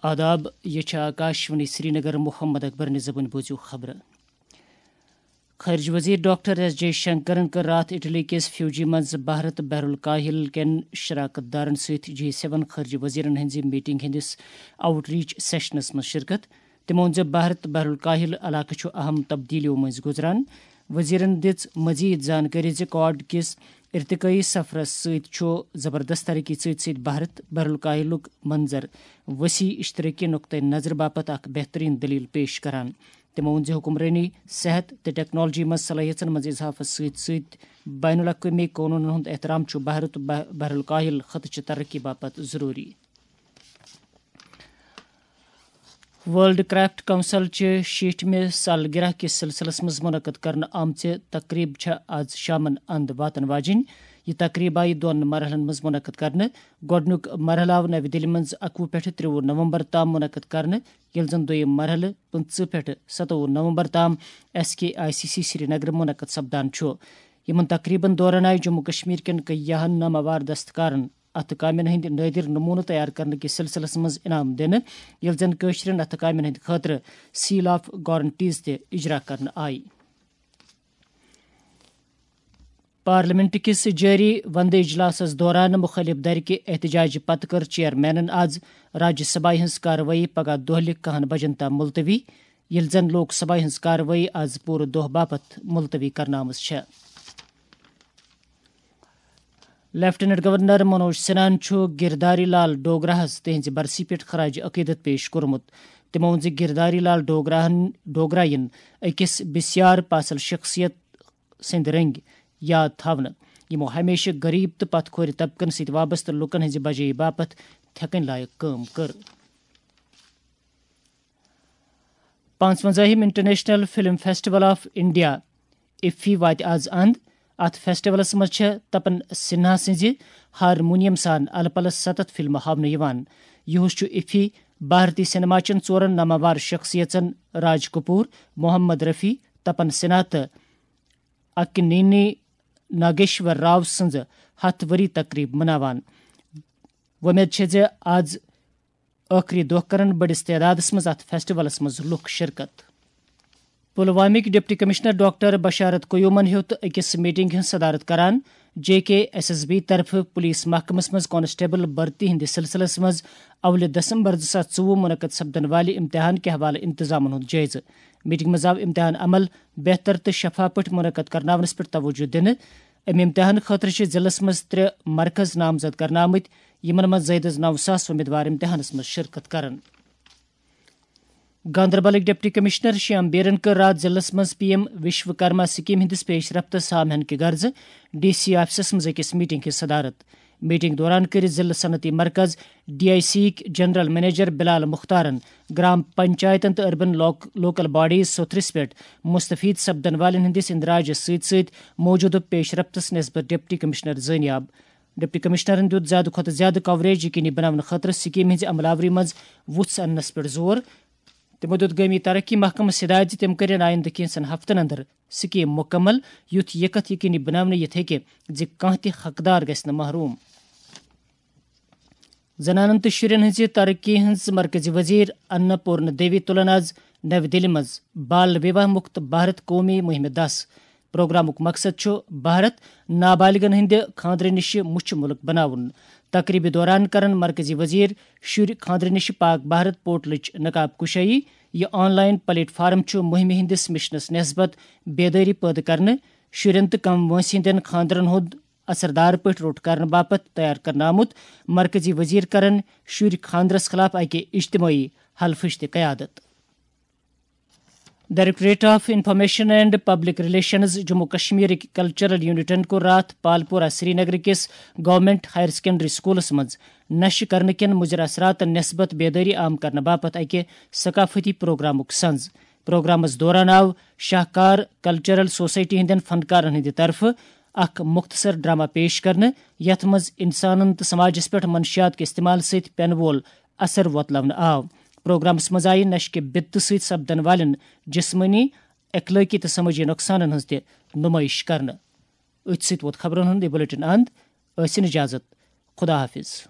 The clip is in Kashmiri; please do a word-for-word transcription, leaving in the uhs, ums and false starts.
آداب، یہ چھِ آکاشوانی سرینگر۔ محمد اکبر نِزبُن بوٗزِو خبرٕ۔ خارجہ وزیر ڈاکٹر ایس جے شنکرن کٔر راتھ اٹلی کِس فیوجی منٛز بھارت بحر الکاہل کٮ۪ن شراکت دارن سۭتۍ جی سیون خارجہ وزیرن ہٕنٛزِ میٹنگ ہٕنٛدِس آؤٹ ریچ سیشنس منٛز شرکت۔ تٔمۍ ووٚن زِ بھارت بحر الکاہل علاقہٕ چھُ اہم تبدیلیو مٔنٛزۍ گُزران۔ وزیرن دِژ مزید زانکٲری زِ کواڈ کِس ارتقٲیی سفرس سۭتۍ چھُ زبردست ترقی سۭتۍ سۭتۍ بھارت بحر الکاہلُک منظر وسیع اشترٲکی نقطہٕ نظرٕ باپتھ اکھ بہترین دلیل پیش کران۔ تٔمۍ ووٚن زِ حکمرٲنی، صحت تہٕ ٹیکنالوجی منٛز صلٲحیژن منٛز اضافس سۭتۍ سۭتۍ بین الاقوٲمی قونوٗنن ہُنٛد احترام چھُ بھارت بح-، بحر الکاہل خطہٕ چہِ ترقی باپتھ ضروٗری۔ ورلڈ کرافٹ کونسل چہِ شیٹھمہِ سالگرہ کِس سلسلس منٛز منعقد کرنہٕ آمژِ تقریب چھےٚ آز شامن اند واتن واجِنۍ۔ یہِ تقریب آیہِ دۄن مرحلن منٛز منعقد کرنہٕ۔ گۄڈٕنیُک مرحلہٕ آو نَوِ دِلہِ منٛز اَکوُہ پٮ۪ٹھٕ ترٛوُہ نومبر تام منعقد کرنہٕ، ییٚلہِ زن دوٚیِم مرحلہٕ پٕنٛژٕہ پٮ۪ٹھٕ ستووُہ نومبر تام S K I C C سرینگرٕ منعقد سپدان چھُ۔ یِمن تقریبن دوران آیہِ جموں کشمیر کٮ۪ن کیٚنٛہن ناماوار دستکارن اَتھٕ کامٮ۪ن ہٕنٛدۍ نٲدِر نموٗنہٕ تیار کرنہٕ کِس سلسلس منٛز انعام دِنہٕ، ییٚلہِ زن کٲشرٮ۪ن اَتھٕ کامٮ۪ن ہٕنٛدِ خٲطرٕ سیل آف گارنٹیز تہِ اجرا کرنہٕ آیہِ۔ پارلیمنٹ کِس جٲری وندٕ اجلاسَس دوران مُخٲلِف دھرِ کہِ احتجاج پتہٕ کٔر چیئرمینَن آز راجیہ سبھا ہٕنٛز کاروٲیی پگاہ دۄہلہِ کَہَن بجن تام ملتوی، ییٚلہِ زن لوک سبھا ہٕنٛز کاروٲیی آز پوٗرٕ دۄہ باپتھ ملتوی کرنہٕ آمٕژ چھےٚ۔ لیفٹیننٹ گورنر منوج سنہاہن چھُ گرداری لال ڈوگراہَس تِہنٛزِ برسی پٮ۪ٹھ خراج عقیدت پیش کوٚرمُت۔ تٔمۍ ووٚن زِ گرداری لال ڈوگراہن، ڈوگرا یِن أکِس بسیار پاسل شخصیت سٕنٛدۍ رٔنٛگۍ یاد تھاونہٕ، یِمو ہمیشہٕ غریب تہٕ پتھ کھورِ طبقن سۭتۍ وابستہٕ لوٗکن ہٕنٛزِ بجٲیی باپتھ تھٮ۪کٕنۍ لایق کٲم کٔر۔ پانٛژوَنٛزاہِم international film festival of India, IFFI, واتہِ آز اند۔ اتھ فیسٹیولس منٛز چھےٚ تپن سنہا سٕنٛزِ ہارمونیم سان الہٕ پلس ستتھ فلمہٕ ہاونہٕ یِوان۔ یِہُس چھُ افی بھارتی سینما چٮ۪ن ژورن ناماوار شخصیژن راج کپور، محمد رفیع، تپن سنہا تہٕ اکنینی ناگیشور راو سٕنٛز ہتھ ؤری تقریب مناوان۔ وۄمید چھےٚ زِ آز ٲخری دۄہ کرن بٔڑِس تعدادس منٛز اتھ فیسٹیولس منٛز لوٗکھ شرکت۔ پلوامٕکۍ ڈپٹی کمشنر ڈاکٹر بشارت قیومن ہیوٚت أکِس میٹنگ ہٕنٛز صدارت کران۔ جے کے ایس ایس بی طرفہٕ پولیس محکمس منٛز کانسٹیبل بھرتی ہٕنٛدِس سلسلس منٛز اولہِ دسمبر زٕ ساس ژوٚوُہ منعقد سپدن والہِ امتحان کہِ حوالہٕ انتظامن ہُنٛد جٲیزٕ۔ میٹنگ منٛز آو امتحان عمل بہتر تہٕ شفاف پٲٹھۍ منعقد کرناونس پٮ۪ٹھ توجہ دِنہٕ۔ امہِ امتحان خٲطرٕ چھِ ضلعس منٛز ترٛےٚ مرکز نامزد کرنہٕ آمٕتۍ، یِمن منٛز زٲیدٕ نَو ساس امیدوار امتحانس منٛز شرکت کرن۔ گاندربلٕکۍ ڈپٹی کمشنر شیام بیرن کٔر راتھ ضلعس منٛز پی ایم وشوکرما سکیم ہٕنٛدِس پیش رفتس سامعن کہِ غرضہٕ ڈی سی آفسس منٛز أکِس میٹنگ ہٕنٛز صدارت۔ میٹنگ دوران کٔرۍ ضلع صنعتی مرکز ڈی آئی سی یِکۍ جنرل منیجر بلال مختارن گرام پنچایتن تہٕ اربن لوک-، لوکل باڈیز سوٚتھرِس پٮ۪ٹھ مستفید سپدن والٮ۪ن ہٕنٛدِس اندراجس سۭتۍ سۭتۍ موجودٕ پیش رفتس نسبت ڈپٹی کمشنر زٲنیاب۔ ڈپٹی کمشنرن دیُت زیادٕ کھۄتہٕ زیادٕ کوریج یقینی بناونہٕ خٲطرٕ سکیمہِ ہٕنٛزِ عمل آوری منٛز وُژھ اننس پٮ۪ٹھ زور۔ تِمو دیُت گٲمی ترقی محکمس ہدایت زِ تِم کرن آیندٕ کینٛژن ہفتن اندر سکیم مکمل، یُتھ یہِ کتھ یقینی بناونہٕ یِتھ ہیٚکہِ زِ کانٛہہ تہِ حقدار گژھِ نہٕ محروم۔ زنانن تہٕ شُرٮ۪ن ہٕنٛزِ ترقی ہٕنٛز مرکزی وزیر اناپورنا دیوی تُلن آز نَوِ دِلہِ منٛز بال وِواہ مُکت بھارت قومی مُہِمہِ دَس۔ پروگرامُک مقصد چھُ بھارت نابالغن ہٕنٛدِ خانٛدرٕ نِشہِ مُچھِ مُلک بناوُن۔ تقریبہِ دوران کرن مرکزی وزیر شُرۍ خانٛدرٕ نِشہِ پاک بھارت پورٹلٕچ نقاب کشٲیی۔ یہِ آن لائن پلیٹ فارم چھُ مُہِمہِ ہٕنٛدِس مشنس نسبت بیدٲری پٲدٕ کرنہٕ، شُرٮ۪ن تہٕ کم وٲنٛسہِ ہٕنٛدٮ۪ن خانٛدرن ہُنٛد اثردار پٲٹھۍ روٚٹ کرنہٕ باپتھ تیار کرنہٕ آمُت۔ مرکزی وزیر کرن شُرۍ خانٛدرس خلاف اکہِ اجتمٲعی حلفٕچ تہِ قیادت۔ Directorate of information and public relations Jammu کشمیرٕکۍ کلچرل یونٹن کوٚر راتھ پالپورہ سرینگر کِس گورنمنٹ ہائر سیکنڈری سکولس منٛز نشہٕ کرنہٕ کٮ۪ن مضر اثراتن نسبت بیدٲری عام کرنہٕ باپتھ اکہِ ثقافتی پروگرامُک سنز۔ پروگرامس دوران آو شاہکار کلچرل سوسائٹی ہٕنٛدٮ۪ن فنکارن ہٕنٛدِ طرفہٕ اکھ مختصر ڈرامہ پیش کرنہٕ، یتھ منٛز انسانن تہٕ سماجس پٮ۪ٹھ منشیات کہِ استعمال سۭتۍ پینہٕ وول اثر وۄتلونہٕ آو۔ پروگرامس منٛز آیہِ نشہٕ کہِ بدتہٕ سۭتۍ سپدن والٮ۪ن جسمٲنی، اخلٲقی تہٕ سمٲجی نۄقصانن ہٕنٛز تہِ نمٲیش کرنہٕ۔ أتھۍ سۭتۍ ووت خبرن ہُنٛد یہِ بلیٹن اند۔ ٲسِن اجازت۔ خدا حافظ۔